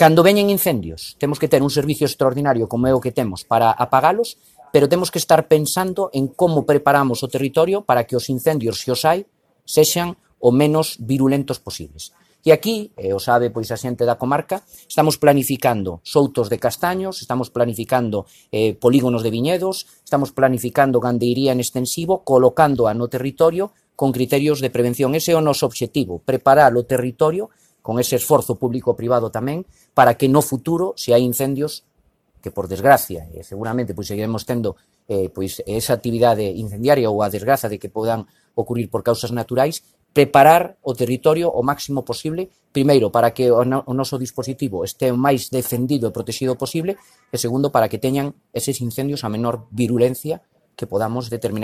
Cando veñen incendios, temos que ter un servicio extraordinario como é o que temos para apagalos, pero temos que estar pensando en como preparamos o territorio para que os incendios, se os hai, sexan o menos virulentos posibles. E aquí, o sabe pois a xente da comarca, estamos planificando soutos de castaños, estamos planificando polígonos de viñedos, estamos planificando gandeiría en extensivo, colocándoa no territorio con criterios de prevención. Ese é o noso obxectivo, preparar o territorio con ese esforzo público-privado tamén, para que no futuro, se hai incendios, que por desgracia, seguramente pois seguiremos tendo pois esa actividade incendiaria ou a desgraza de que podan ocurrir por causas naturais, preparar o territorio o máximo posible, primeiro, para que o noso dispositivo este o máis defendido e protegido posible, e segundo, para que teñan eses incendios a menor virulencia que podamos determinar.